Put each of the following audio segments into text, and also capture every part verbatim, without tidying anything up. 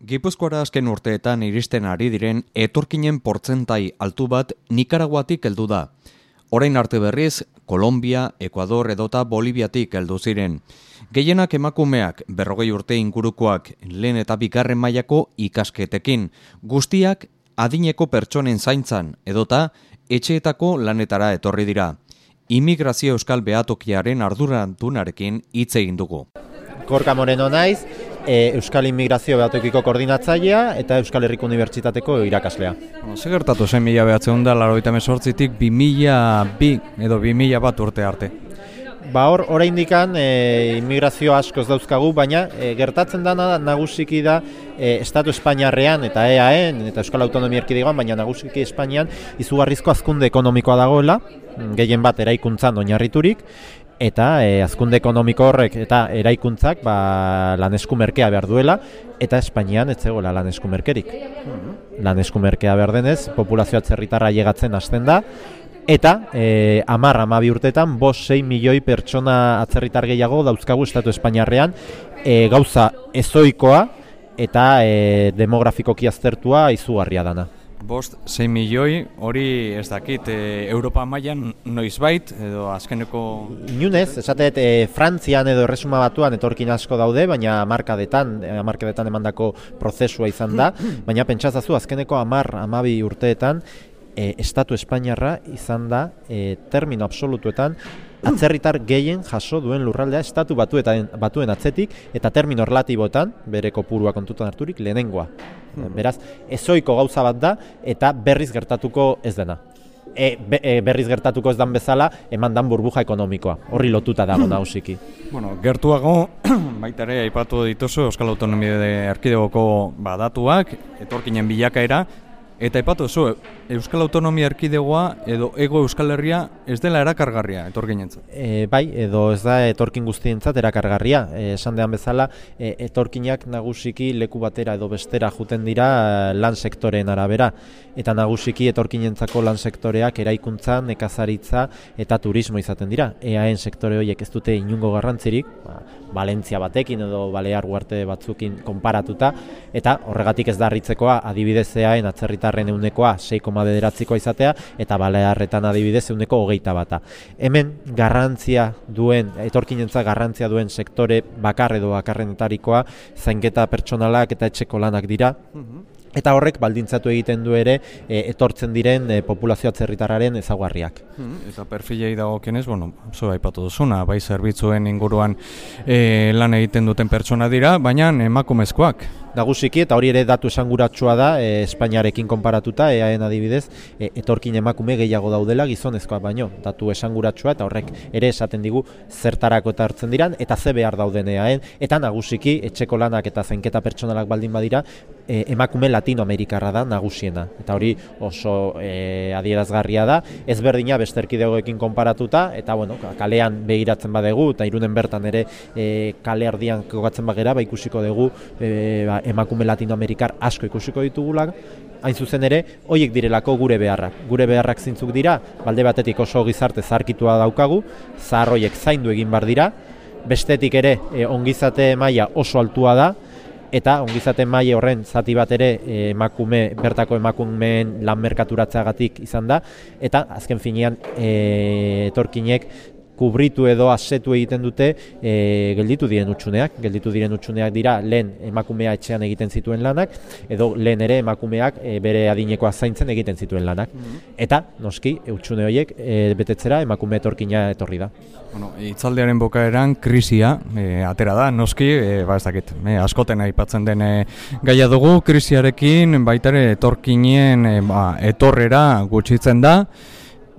Gipuzkoara azken urteetan iristen ari diren etorkinen portzentai altu bat Nikaraguatik heldu da. Orain arte berriz, Kolombia, Ekuador edota Boliviatik heldu ziren. Gehienak emakumeak, berrogei urte ingurukoak, lehen eta bigarren mailako ikasketekin. Guztiak adineko pertsonen zaintzan edota etxeetako lanetara etorri dira. Immigrazio Euskal Behatokiaren ardurandunarekin hitz egin dugu. Gorka Moreno naiz, e, Euskal Immigrazio Behatokiko koordinatzailea eta Euskal Herriko Unibertsitateko irakaslea. Ze gertatu zen mila behatzen da, laurogeita hemezortzitik bi mila bi edo bi mila bat urte arte? Ba hor, oraindikan e, immigrazio askoz dauzkagu, baina e, gertatzen dana nagusiki da e, Estatu Espainiarrean eta E A En eta Euskal Autonomia Erkidegoan, baina nagusiki Espainian izugarrizko hazkunde ekonomikoa dagoela, gehien bat eraikuntzan oinarriturik, eta e, hazkunde ekonomiko horrek eta eraikuntzak ba, lanesku merkea behar duela, eta Espainian ez zegoela lanesku merkerik. Lanesku merkea behar denez, populazioa atzerritarra llegatzen hasten da, eta e, hamar hamabi urteetan bost sei milioi pertsona atzerritar gehiago dauzkagu Estatu Espainiarrean, e, gauza ezoikoa eta e, demografikoki aztertua izugarria dana. Bost sei milioi, hori ez dakit, e, Europa mailan noizbait edo azkeneko... Inunez, esatet, e, Frantzian edo Erresuma Batuan etorkin asko daude, baina hamarkadetan, hamarkadetan emandako prozesua izan da, baina pentsazazu azkeneko hamar hamabi urteetan e, Estatu Espainiarra izan da e, termino absolutuetan atzerritar gehien jaso duen lurraldea Estatu batuetan, batuen atzetik eta termino relatiboetan, bere kopurua kontutan harturik, lehenengoa. Beraz, ezoiko gauza bat da eta berriz gertatuko ez dena. E, be, e, berriz gertatuko ez dan bezala, eman dan burbuja ekonomikoa. Horri lotuta dago nausiki. Bueno, gertuago, baita ere, aipatu dituzu Euskal Autonomia Erkidegoko badatuak, etorkinen bilakaera, eta aipatu zu, Euskal Autonomia Erkidegoa edo Ego Euskal Herria ez dela erakargarria etorkinentzat? E, bai, edo ez da etorkin guztientzat erakargarria. E, esan dean bezala, e, etorkinak nagusiki leku batera edo bestera juten dira lan sektoreen arabera. Eta nagusiki etorkinentzako lan sektoreak eraikuntza, nekazaritza eta turismo izaten dira. E A En sektore horiek ez dute inungo garrantzirik, ba, Valentzia batekin edo Balear Uarte batzukin konparatuta, eta horregatik ez da harritzekoa adibidez E A En atzerritarren ehunekoa sei koma bederatzikoa izatea, eta Balearretan adibidez ehuneko hogeita bata. Hemen garrantzia duen, etorkinentzat garrantzia duen sektore bakar edo bakarrenetarikoa zainketa pertsonalak eta etxeko lanak dira. Eta horrek baldintzatu egiten du ere e, etortzen diren e, populazio atzerritarraren ezaugarriak. Eta perfilei dagokienez, bueno, zo aipatu duzuna, bai zerbitzuen inguruan e, lan egiten duten pertsona dira, baina emakumezkoak. Nagusiki, eta hori ere datu esanguratsua da, e, Espainiarekin konparatuta, E A En adibidez, e, etorkin emakume gehiago daudela gizonezkoak baino. Datu esanguratsua eta horrek ere esaten digu zertarako eta hartzen diran, eta ze behar dauden E A En, eta nagusiki, etxeko lanak eta zainketa pertsonalak baldin badira, e, emakume latinoamerikarra da nagusiena. Eta hori oso e, adierazgarria da, ezberdina beste erkidegoekin konparatuta, eta bueno, kalean begiratzen badegu, eta Irunen bertan ere e, kale erdian kokatzen bagera, ba ikusiko dugu e, ba, emakume latinoamerikar asko ikusiko ditugulak, hain zuzen ere, hoiek direlako gure beharrak. Gure beharrak zintzuk dira, balde batetik oso gizarte zaharkitua daukagu, zahar hoiek zaindu egin bar dira, bestetik ere e, ongizate maila oso altua da, eta ongizate maila horren zati bat ere e, emakume, bertako emakumeen lan merkaturatzeagatik izan da, eta azken finean e, etorkinek kubritu edo asetu egiten dute e, gelditu diren utxuneak. Gelditu diren utxuneak dira lehen emakumea etxean egiten zituen lanak, edo lehen ere emakumeak e, bere adinekoa zaintzen egiten zituen lanak. Eta, noski, utxune horiek e, betetzera emakume etorkina etorri da. Bueno, itzaldiaren bukaeran krisia e, atera da, noski, e, ba ez dakit, e, askoten aipatzen den e, gaia dugu, krisiarekin baita ere etorkinien e, ba, etorrera gutxitzen da,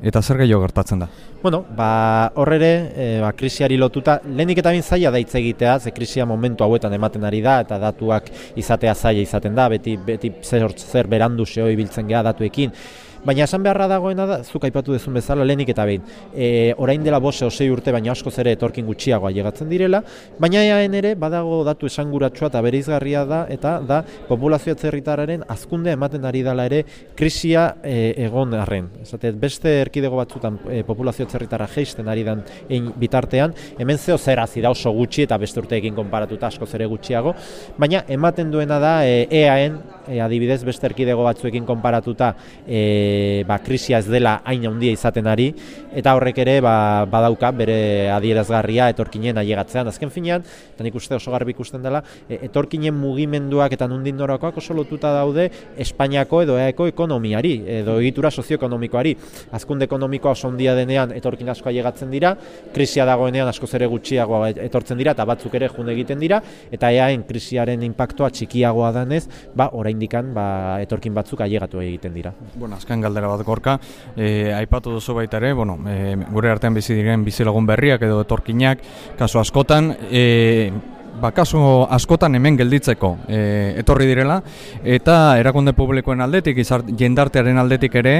eta zer gehiago gertatzen da? Bueno, ba, hor ere, e, ba, krisiari lotuta, lehenik eta bin zaila da hitz egitea, ze krisia momentu hauetan ematen ari da, eta datuak izatea zaila izaten da, beti, beti zer, zer berandu xeo ibiltzen geha datuekin. Baina esan beharra dagoena da, zuk aipatu duzun bezala lehenik eta behin, e, orain dela bose osei urte baina askoz ere etorkin gutxiagoa llegatzen direla, baina eaen ere badago datu esanguratsua eta bereizgarria da, eta da populazio atzerritarraren hazkundea ematen ari dela ere krisia e, egon arren. Esate, beste erkidego batzutan e, populazio atzerritarra jeisten ari dan ein bitartean, hemen zeo zer hazi da oso gutxi eta beste urteekin konparatuta askoz ere gutxiago, baina ematen duena da e, eaen, e, adibidez beste erkidego batzuekin konparatuta e, ba, krisia ez dela hain handia izaten ari, eta horrek ere ba, badauka bere adierazgarria etorkinen ailegatzean. Azken finean, eta nik uste oso garbi ikusten dela, e, etorkinen mugimenduak eta nondik norakoak oso lotuta daude Espainiako edo eaeko ekonomiari, edo egitura sozioekonomikoari. Hazkunde ekonomikoa oso handia denean etorkin asko ailegatzen dira, krisia dagoenean askoz ere gutxiago etortzen dira eta batzuk ere jun egiten dira, eta eaen krisiaren inpaktua txikiagoa danez, ba, oraindikan ba, etorkin batzuk ailegatu egiten dira. Bueno, azken galdera bat gorka, e, aipatu duzu baita ere, bueno, e, gure artean bizi diren bizilagun berriak edo etorkinak, kasu askotan, e, ba, kasu askotan hemen gelditzeko e, etorri direla, eta erakunde publikoen aldetik, izar, jendartearen aldetik ere,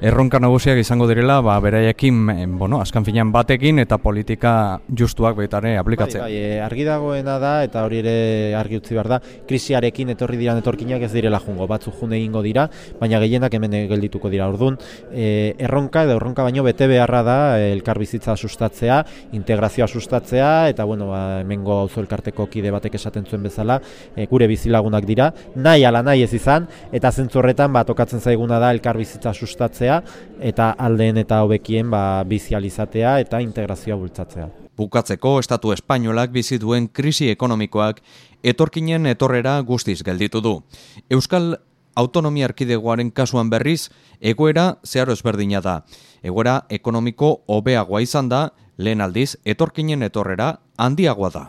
erronka nagusiak izango direla, ba, beraiekin, bueno, azkan finean batekin eta politika justuak baitare aplikatzea. Bai, bai, argi dagoena da, eta hori ere argi utzi behar da, krisiarekin etorri diran etorkinak ez direla jungo, batzu june egingo dira, baina gehienak hemen geldituko dira. Orduan, e, erronka edo erronka baino bete beharra da elkarbizitza sustatzea, integrazioa sustatzea, eta bueno, ba, hemengo auzo elkarteko kide batek esaten zuen bezala, e, gure bizilagunak dira, nahi ala nahi ez izan, eta zentzu horretan ba, tokatzen zaiguna da elkarbizitza sustatzea, eta aldeen eta hobekien ba, bizializatea eta integrazioa bultzatzea. Bukatzeko, Estatu Espainolak bizi duen krisi ekonomikoak etorkinen etorrera guztiz gelditu du. Euskal Autonomia Erkidegoaren kasuan berriz, egoera zeharo ezberdina da. Egoera ekonomiko hobeagoa izan da, lehen aldiz, etorkinen etorrera handiagoa da.